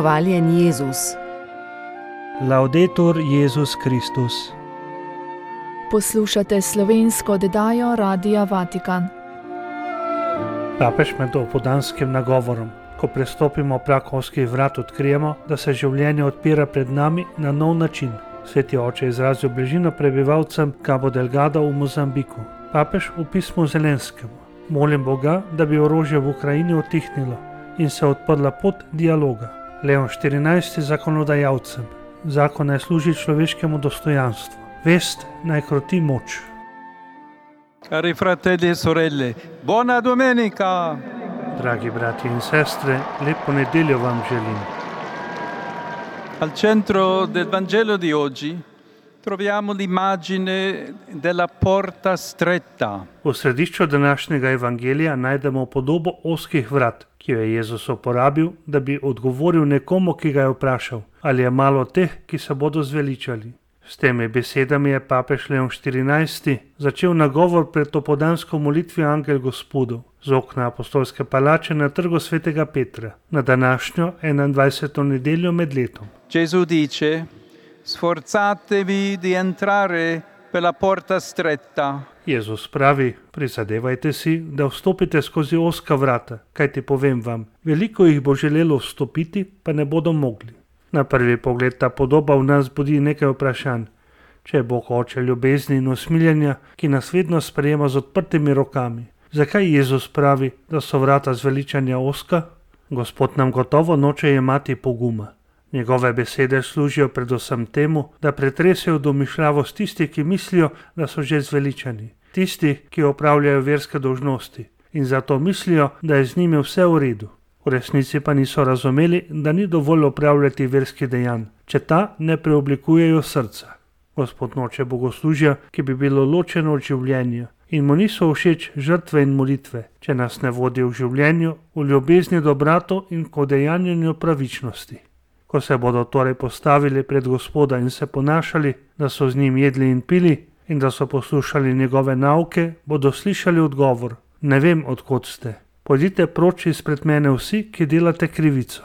Hvaljen Jezus. Laudetur Jezus Kristus. Poslušate slovensko oddajo Radia Vatikan. Papež med opoldanskim nagovorom. Ko prestopimo prakovskih vrat, odkrijemo, da se življenje odpira pred nami na nov način. Sveti oče izrazil bližino prebivalcem Cabo Delgado v Mozambiku. Papež v pismu Zelenskemu. Molim Boga, da bi orožje v Ukrajini utihnilo in se odprla pot dialoga. Leon 14. zakonodajalcem. Zakon naj služi človeškemu dostojanstvu. Vest naj kroti moč. Cari fratelli e sorelle, buona domenica! Dragi brati in sestre, lepo nedeljo vam želim. Al centro del Vangelo di oggi troviamo l'immagine della porta stretta. V središču današnjega evangelija najdemo podobo ozkih vrat, ki jo je Jezus uporabil, da bi odgovoril nekomu, ki ga je vprašal, ali je malo teh, ki se bodo zveličali. S temi besedami je papež Leon 14. začel nagovor pred opoldansko molitvijo Angel Gospodov z okna apostolske palače na trgu svetega Petra na današnjo 21. nedeljo med letom. Gesù dice: Sforzatevi di entrare per la porta stretta. Jezus pravi: prizadevajte si, da vstopite skozi ozka vrata, kajti povem vam, veliko jih bo želelo vstopiti, pa ne bodo mogli. Na prvi pogled ta podoba v nas budi nekaj vprašanj. Če je Bog oče ljubezni in usmiljenja, ki nas vedno sprejema z odprtimi rokami, zakaj Jezus pravi, da so vrata zveličanja ozka? Gospod nam gotovo noče jemati poguma. Njegove besede služijo predvsem temu, da pretresejo domišljavost tistih, ki mislijo, da so že zveličani. Tisti, ki opravljajo verske dolžnosti in zato mislijo, da je z njimi vse v redu. V resnici pa niso razumeli, da ni dovolj opravljati verskih dejanj, če ta ne preoblikujejo srca. Gospod noče bogoslužja, ki bi bilo ločeno od življenja, in mu niso všeč žrtve in molitve, če nas ne vodi v življenju, v ljubezni do bratov in k udejanjanju pravičnosti. Ko se bodo torej postavili pred Gospoda in se ponašali, da so z njim jedli in pili in da so poslušali njegove nauke, bodo slišali odgovor: ne vem, od kod ste. Pojdite proč izpred mene vsi, ki delate krivico.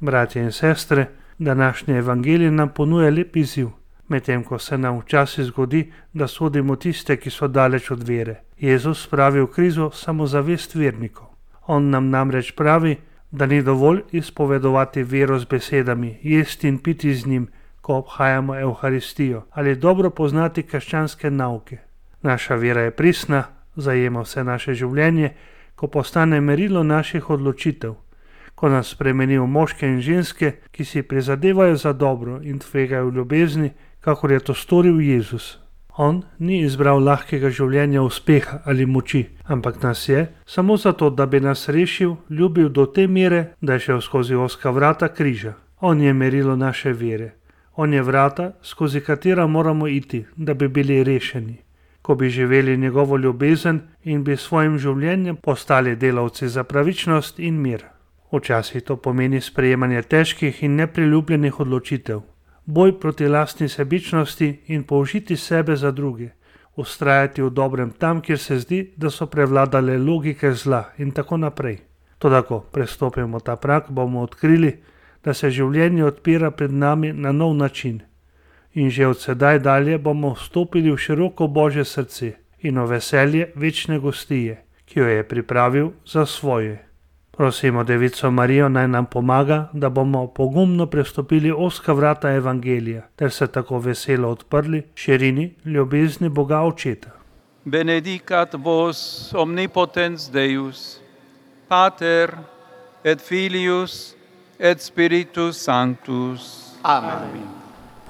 Bratje in sestre, današnji evangelij nam ponuja lep izziv, medtem ko se nam včasih zgodi, da sodimo tiste, ki so daleč od vere. Jezus spravi v krizo samozavest vernikov. On nam namreč pravi, da ni dovolj izpovedovati vero z besedami, jesti in piti z njim, ko obhajamo Evharistijo, ali dobro poznati krščanske nauke. Naša vera je pristna, zajema vse naše življenje, ko postane merilo naših odločitev, ko nas spremeni v moške in ženske, ki si prizadevajo za dobro in tvegajo v ljubezni, kakor je to storil Jezus. On ni izbral lahkega življenja uspeha ali moči, ampak nas je, samo zato, da bi nas rešil, ljubil do te mere, da je šel skozi ozka vrata križa. On je merilo naše vere. On je vrata, skozi katera moramo iti, da bi bili rešeni. Ko bi živeli njegovo ljubezen in bi svojim življenjem postali delavci za pravičnost in mir. Včasih to pomeni sprejemanje težkih in nepriljubljenih odločitev, boj proti lastni sebičnosti in použiti sebe za druge, vztrajati v dobrem tam, kjer se zdi, da so prevladale logike zla in tako naprej. Toda ko prestopimo ta prag, bomo odkrili, da se življenje odpira pred nami na nov način. In že od sedaj dalje bomo vstopili v široko Božje srce in v veselje večne gostije, ki jo je pripravil za svoje. Prosimo Devico Marijo, naj nam pomaga, da bomo pogumno prestopili ozka vrata evangelija, ter se tako veselo odprli širini ljubezni Boga Očeta. Benedicat vos omnipotens Deus, Pater et Filius et Spiritus Sanctus. Amen.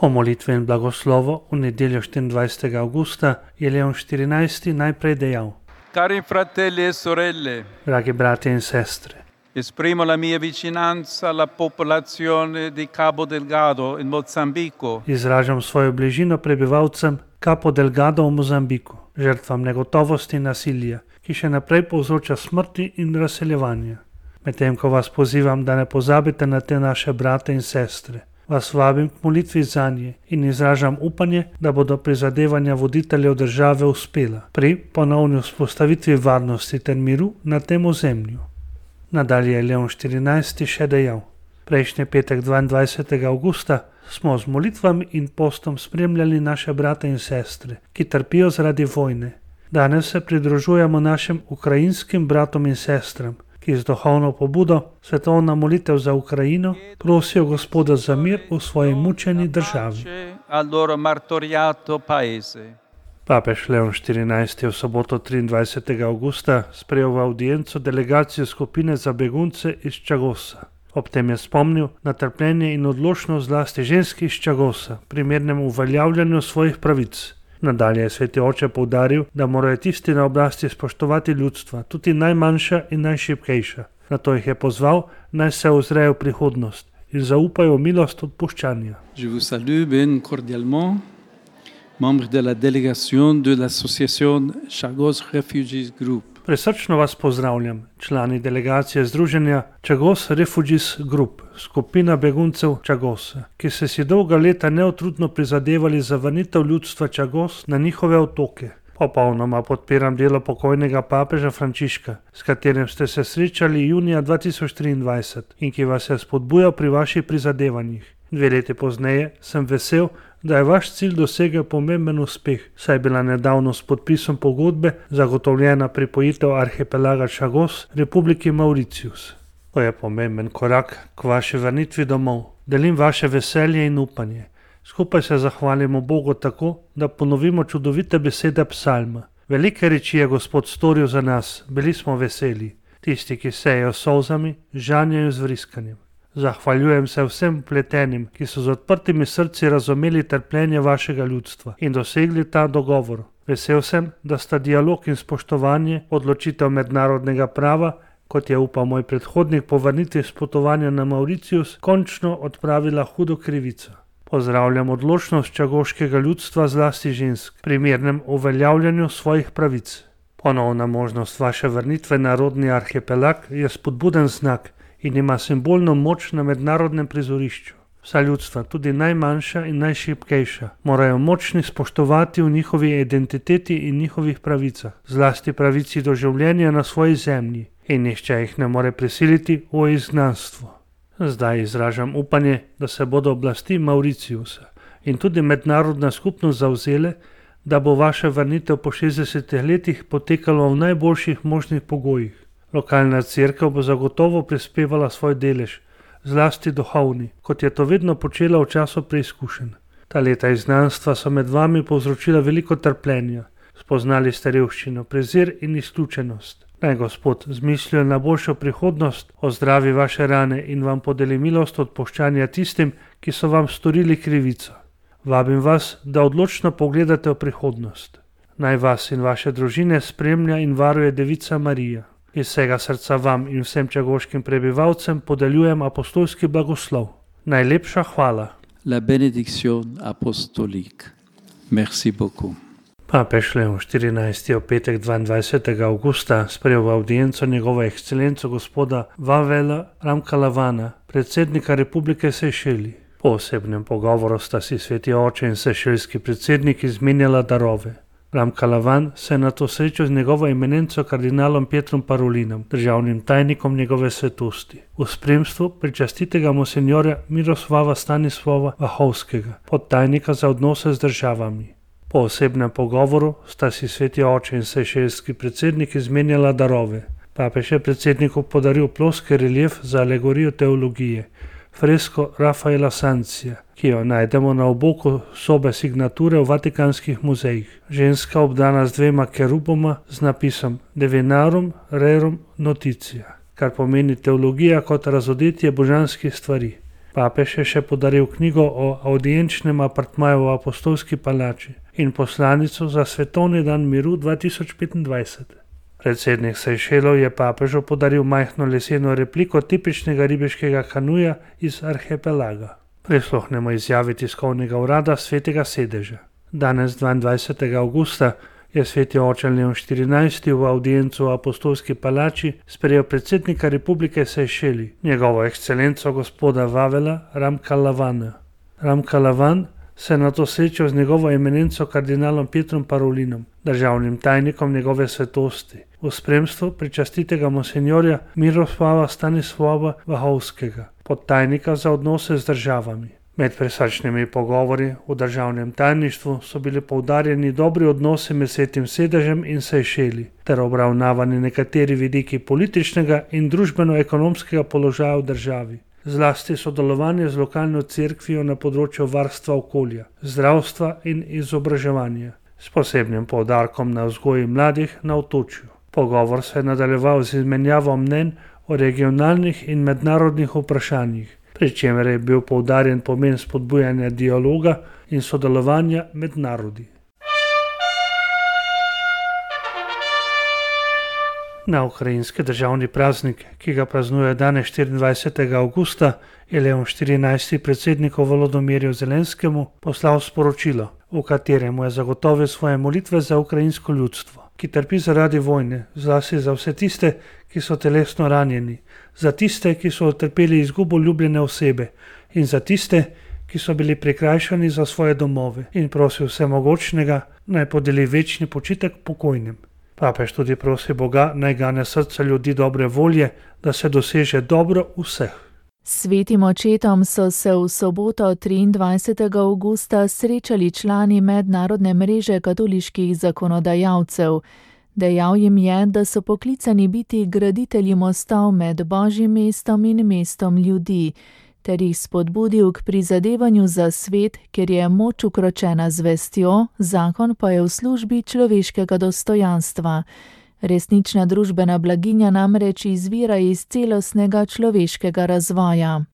Po molitvi in blagoslovu v nedeljo 24. avgusta je Leon 14. najprej dejal: Cari fratelli e sorelle, dragi bratje in sestre, esprimo la mia vicinanza alla popolazione di Cabo Delgado in Mozambico. Izražam svojo bližino prebivalcem Cabo Delgado v Mozambiku, žrtvam negotovosti in nasilja, ki še naprej povzroča smrti in razseljevanja. Medtem ko vas pozivam, da ne pozabite na te naše brate in sestre, vas vabim k molitvi zanje in izražam upanje, da bodo prizadevanja voditeljev države uspela pri ponovni vzpostavitvi varnosti ter miru na tem ozemlju. Nadalje je Leon 14. še dejal: Prejšnji petek 22. avgusta smo z molitvami in postom spremljali naše brate in sestre, ki trpijo zaradi vojne. Danes se pridružujemo našim ukrajinskim bratom in sestram, ki z duhovno pobudo svetovna molitev za Ukrajino prosijo Gospoda za mir v svoji mučeni državi. Papež Leon XIV je v soboto 23. avgusta sprejel v audienco delegacijo skupine za begunce iz Čagosa. Ob tem je spomnil na trpljenje in odločnost zlasti žensk iz Čagosa, primernem uveljavljanju svojih pravic. Nadalje je sveti oče poudaril, da morajo tisti na oblasti spoštovati ljudstva, tudi najmanjša in najšibkejša. Nato jih je pozval, naj se ozrejo v prihodnost in zaupajo v milost odpuščanja. Je vous salue bien cordialement, membres de la délégation de l'association Chagos Refugees Group. Presrčno vas pozdravljam, člani delegacije Združenja Chagos Refugees Group, skupina beguncev Chagosa, ki ste si dolga leta neutrudno prizadevali za vrnitev ljudstva Chagos na njihove otoke. Popolnoma podpiram delo pokojnega papeža Frančiška, s katerim ste se srečali junija 2023 in ki vas je spodbujal pri vaših prizadevanjih. 2 leti pozneje sem vesel, da je vaš cilj dosegel pomemben uspeh, saj je bila nedavno s podpisom pogodbe zagotovljena pripojitev arhipelaga Chagos Republiki Mauritius. To je pomemben korak k vaši vrnitvi domov. Delim vaše veselje in upanje. Skupaj se zahvalimo Bogu tako, da ponovimo čudovite besede psalma. Velike reči je Gospod storil za nas, bili smo veseli. Tisti, ki sejejo s solzami, žanjejo z vriskanjem. Zahvaljujem se vsem vpletenim, ki so z odprtimi srci razumeli trpljenje vašega ljudstva in dosegli ta dogovor. Vesel sem, da sta dialog in spoštovanje odločitev mednarodnega prava, kot je upal moj predhodnik po vrnitvi s potovanja na Mauritius, končno odpravila hudo krivico. Pozdravljam odločnost čagoškega ljudstva, zlasti žensk, pri mirnem uveljavljanju svojih pravic. Ponovna možnost vaše vrnitve na rodni arhipelag je spodbuden znak in ima simbolno moč na mednarodnem prizorišču. Vsa ljudstva, tudi najmanjša in najšibkejša, morajo močni spoštovati v njihovi identiteti in njihovih pravicah, zlasti pravici do življenja na svoji zemlji, in nihče jih ne more prisiliti v izgnanstvo. Zdaj izražam upanje, da se bodo oblasti Mauritiusa in tudi mednarodna skupnost zavzele, da bo vaša vrnitev po 60 letih potekalo v najboljših možnih pogojih. Lokalna cerkev bo zagotovo prispevala svoj delež, zlasti duhovni, kot je to vedno počela v času preizkušenj. Ta leta izgnanstva so med vami povzročila veliko trpljenja. Spoznali ste revščino, prezir in izključenost. Naj Gospod z mislijo na boljšo prihodnost ozdravi vaše rane in vam podeli milost odpuščanja tistim, ki so vam storili krivico. Vabim vas, da odločno pogledate v prihodnost. Naj vas in vaše družine spremlja in varuje Devica Marija. Iz vsega srca vam in vsem čagoškim prebivalcem podeljujem apostolski blagoslov. Najlepša hvala. La bénédiction apostolique. Merci beaucoup. Papež Leon XIV je v petek 22. avgusta sprejel v audienco njegovo ekscelenco gospoda Vavela Ramkalavana, predsednika Republike Sejšeli. Po osebnem pogovoru sta si sveti oče in sejšelski predsednik izmenjala darove. Ramkalavan se je nato srečal z njegovo eminenco kardinalom Pietrom Parolinom, državnim tajnikom njegove svetosti, v spremstvu pričastitega monsinjorja Miroslava Stanislava Vahovskega, podtajnika za odnose z državami. Po osebnem pogovoru sta si sveti oče in sejšelski predsednik izmenjala darove. Papež je predsedniku podaril ploski relief za alegorijo teologije, fresko Rafaela Sancija, ki jo najdemo na oboku sobe signature v vatikanskih muzejih. Ženska obdana z 2 keruboma z napisom Divinarum Rerum Notitia, kar pomeni teologija kot razodetje božanskih stvari. Papež je še podaril knjigo o audienčnem apartmaju v apostolski palači in poslanico za svetovni dan miru 2025. Predsednik Sejšelov je papežu podaril majhno leseno repliko tipičnega ribiškega kanuja iz arhipelaga. Prisluhnemo izjavi tiskovnega urada Svetega sedeža. Danes, 22. avgusta, je sveti oče Leon XIV v audiencu v apostolski palači sprejel predsednika Republike Sejšeli, njegovo ekscelenco gospoda Vavela Ramkalavana. Ramkalavan se je nato srečal z njegovo eminenco kardinalom Pietrom Parolinom, državnim tajnikom njegove svetosti, v spremstvu pričastitega monsinjorja Miroslava Stanislava Vahovskega, podtajnika za odnose z državami. Med prisrčnimi pogovori v državnem tajništvu so bili poudarjeni dobri odnosi med Svetim sedežem in Sejšeli ter obravnavani nekateri vidiki političnega in družbeno-ekonomskega položaja v državi. Zlasti sodelovanje z lokalno cerkvijo na področju varstva okolja, zdravstva in izobraževanja, s posebnim poudarkom na vzgoji mladih na otočju. Pogovor se je nadaljeval z izmenjavo mnenj o regionalnih in mednarodnih vprašanjih, pri čemer je bil poudarjen pomen spodbujanja dialoga in sodelovanja med narodi. Na ukrajinski državni praznik, ki ga praznuje danes 24. avgusta, je Leon XIV. Predsedniku Volodomirju Zelenskemu poslal sporočilo, v katerem je zagotovil svoje molitve za ukrajinsko ljudstvo, ki trpi zaradi vojne, zlasti za vse tiste, ki so telesno ranjeni, za tiste, ki so utrpeli izgubo ljubljene osebe in za tiste, ki so bili prikrajšani za svoje domove, in prosil vsemogočnega, naj podeli večni počitek pokojnim. Papež tudi prosi Boga, naj gane srca ljudi dobre volje, da se doseže dobro vseh. Svetim očetom so se v soboto 23. avgusta srečali člani mednarodne mreže katoliških zakonodajalcev. Dejal jim je, da so poklicani biti graditelji mostov med Božjim mestom in mestom ljudi, ter jih spodbudil k prizadevanju za svet, kjer je moč ukročena z vestjo, zakon pa je v službi človeškega dostojanstva. Resnična družbena blaginja namreč izvira iz celostnega človeškega razvoja.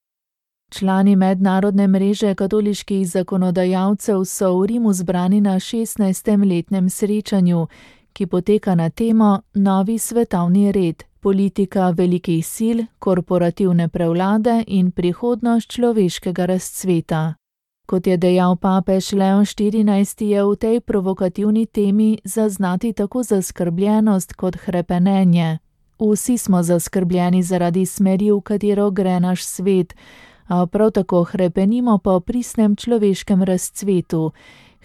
Člani mednarodne mreže katoliških zakonodajalcev so v Rimu zbrani na 16. letnem srečanju, ki poteka na temo Novi svetovni red, politika velikih sil, korporativne prevlade in prihodnost človeškega razcveta. Kot je dejal papež Leon XIV., je v tej provokativni temi zaznati tako zaskrbljenost kot hrepenenje. Vsi smo zaskrbljeni zaradi smeri, v katero gre naš svet, a prav tako hrepenimo po pristnem človeškem razcvetu.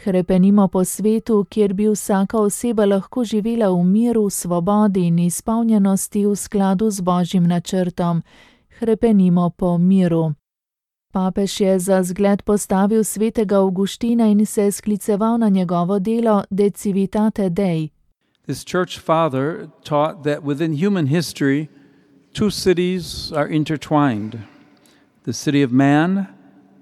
Hrepenimo po svetu, kjer bi vsaka oseba lahko živela v miru, svobodi in izpolnjenosti v skladu z Božjim načrtom. Hrepenimo po miru. Papež je za zgled postavil svetega Avguština in se skliceval na njegovo delo De Civitate Dei. This church father taught that within human history, two cities are intertwined, the city of man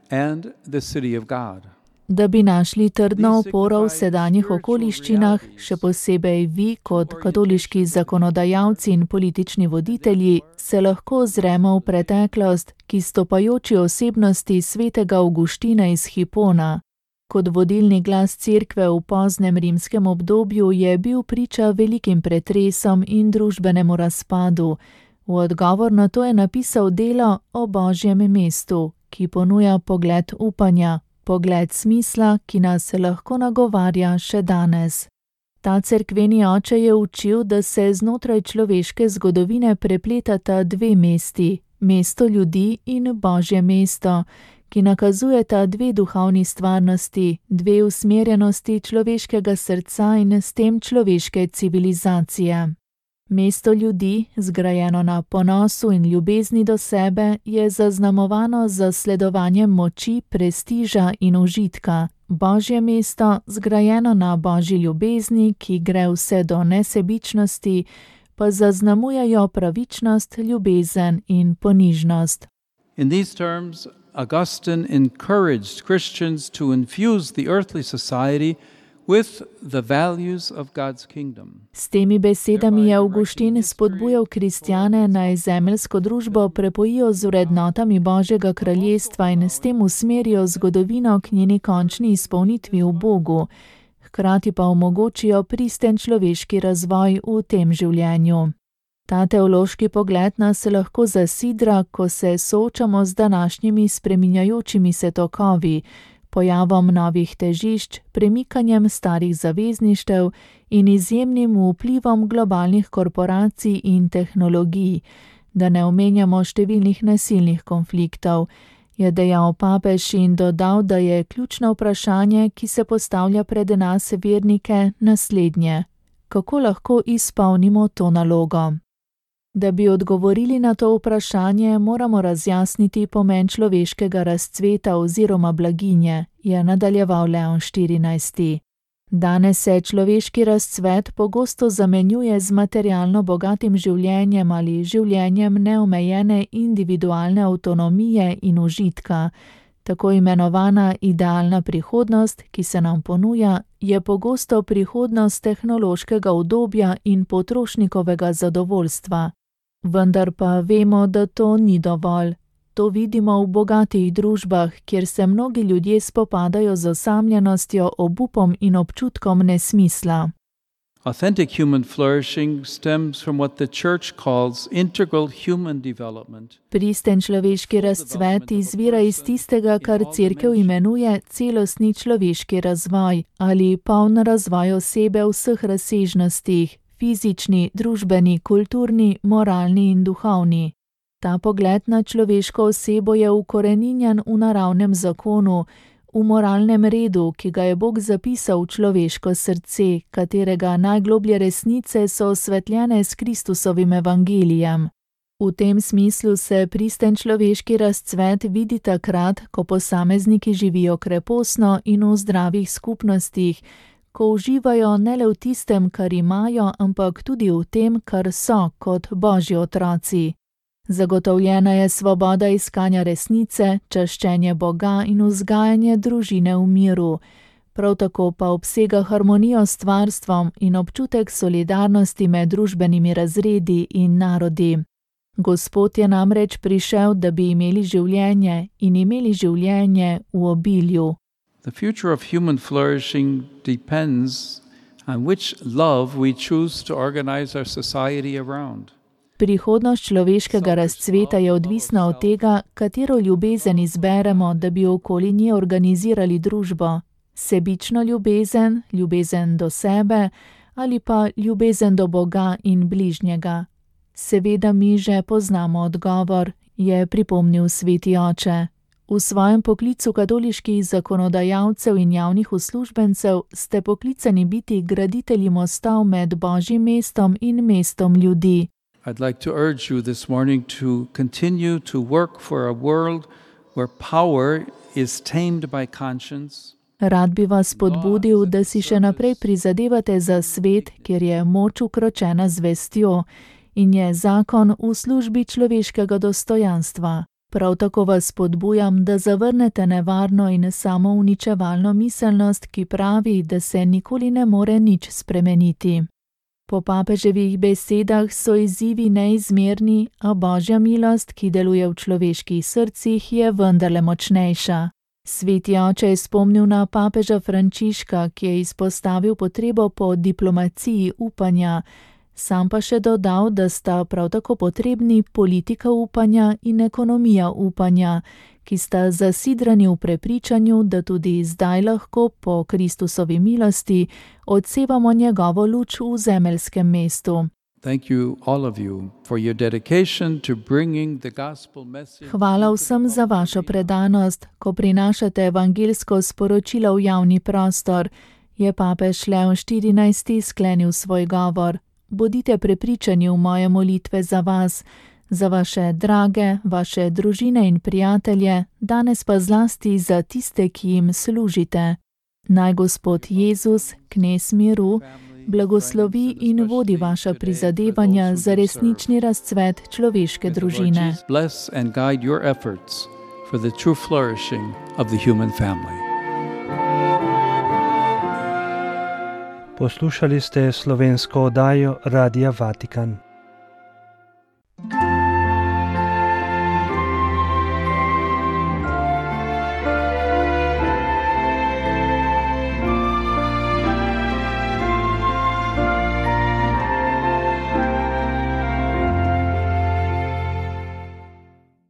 and the city of God. Da bi našli trdno oporo v sedanjih okoliščinah, še posebej vi kot katoliški zakonodajalci in politični voditelji, se lahko ozremo v preteklost, ki stopajoči osebnosti svetega Avguština iz Hipona. Kot vodilni glas cerkve v poznem rimskem obdobju je bil priča velikim pretresom in družbenemu razpadu. V odgovor na to je napisal delo o Božjem mestu, ki ponuja pogled upanja, pogled smisla, ki nas lahko nagovarja še danes. Ta cerkveni oče je učil, da se znotraj človeške zgodovine prepletata dve mesti, mesto ljudi in Božje mesto, ki nakazujeta dve duhovni stvarnosti, dve usmerjenosti človeškega srca in s tem človeške civilizacije. Mesto ljudi, zgrajeno na ponosu in ljubezni do sebe, je zaznamovano z zasledovanjem moči, prestiža in užitka. Božje mesto, zgrajeno na Božji ljubezni, ki gre vse do nesebičnosti, pa zaznamujejo pravičnost, ljubezen in ponižnost. In these terms, Augustine encouraged Christians to infuse the earthly society with the values of God's kingdom. S temi besedami je Avguštin spodbujal kristjane, naj zemeljsko družbo prepojijo z vrednotami Božjega kraljestva in s tem usmerijo zgodovino k njeni končni izpolnitvi v Bogu, hkrati pa omogočijo pristen človeški razvoj v tem življenju. Ta teološki pogled nas lahko zasidra, ko se soočamo z današnjimi spreminjajočimi se tokovi, pojavom novih težišč, premikanjem starih zavezništev in izjemnim vplivom globalnih korporacij in tehnologij, da ne omenjamo številnih nasilnih konfliktov, je dejal papež in dodal, da je ključno vprašanje, ki se postavlja pred nas vernike, naslednje: kako lahko izpolnimo to nalogo? Da bi odgovorili na to vprašanje, moramo razjasniti pomen človeškega razcveta oziroma blaginje, je nadaljeval Leon XIV. Danes se človeški razcvet pogosto zamenjuje z materialno bogatim življenjem ali življenjem neomejene individualne avtonomije in užitka. Tako imenovana idealna prihodnost, ki se nam ponuja, je pogosto prihodnost tehnološkega udobja in potrošnikovega zadovoljstva. Vendar pa vemo, da to ni dovolj. To vidimo v bogatih družbah, kjer se mnogi ljudje spopadajo z osamljenostjo, obupom in občutkom nesmisla. Authentic human flourishing stems from what the church calls integral human development. Pristen človeški razcvet izvira iz tistega, kar Cerkev imenuje celostni človeški razvoj ali poln razvoj osebe v vseh razsežnostih, fizični, družbeni, kulturni, moralni in duhovni. Ta pogled na človeško osebo je ukoreninjen v naravnem zakonu, v moralnem redu, ki ga je Bog zapisal v človeško srce, katerega najgloblje resnice so osvetljene s Kristusovim evangelijem. V tem smislu se pristen človeški razcvet vidi takrat, ko posamezniki živijo kreposno in v zdravih skupnostih, ko uživajo ne le v tistem, kar imajo, ampak tudi v tem, kar so kot Božji otroci. Zagotovljena je svoboda iskanja resnice, čaščenje Boga in vzgajanje družine v miru. Prav tako pa obsega harmonijo s stvarstvom in občutek solidarnosti med družbenimi razredi in narodi. Gospod je namreč prišel, da bi imeli življenje in imeli življenje v obilju. The future of human flourishing depends on which love we choose to organize our society around. Prihodnost človeškega razcveta je odvisna od tega, katero ljubezen izberemo, da bi okoli nje organizirali družbo. Sebično ljubezen, ljubezen do sebe ali pa ljubezen do Boga in bližnjega. Seveda mi že poznamo odgovor, je pripomnil sveti oče. V svojem poklicu katoliških zakonodajalcev in javnih uslužbencev ste poklicani biti graditelji mostov med Božjim mestom in mestom ljudi. I'd like to urge you this morning to continue to work for a world where power is tamed by conscience. Rad bi vas spodbudil, da si še naprej prizadevate za svet, kjer je moč ukročena z vestjo in je zakon v službi človeškega dostojanstva. Prav tako vas spodbujam, da zavrnete nevarno in samouničevalno miselnost, ki pravi, da se nikoli ne more nič spremeniti. Po papeževih besedah so izzivi neizmerni, a Božja milost, ki deluje v človeških srcih, je vendarle močnejša. Sveti oče je spomnil na papeža Frančiška, ki je izpostavil potrebo po diplomaciji upanja, sam pa še dodal, da sta prav tako potrebni politika upanja in ekonomija upanja, ki sta zasidrani v prepričanju, da tudi zdaj lahko po Kristusovi milosti odsevamo njegovo luč v zemeljskem mestu. Hvala vsem za vašo predanost, ko prinašate evangeljsko sporočilo v javni prostor, je papež Leon XIV sklenil svoj govor. Bodite prepričani v moje molitve za vas, za vaše drage, vaše družine in prijatelje, danes pa zlasti za tiste, ki jim služite. Naj Gospod Jezus, knez miru, blagoslovi in vodi vaša prizadevanja za resnični razcvet človeške družine. Poslušali ste slovensko oddajo Radia Vatikan.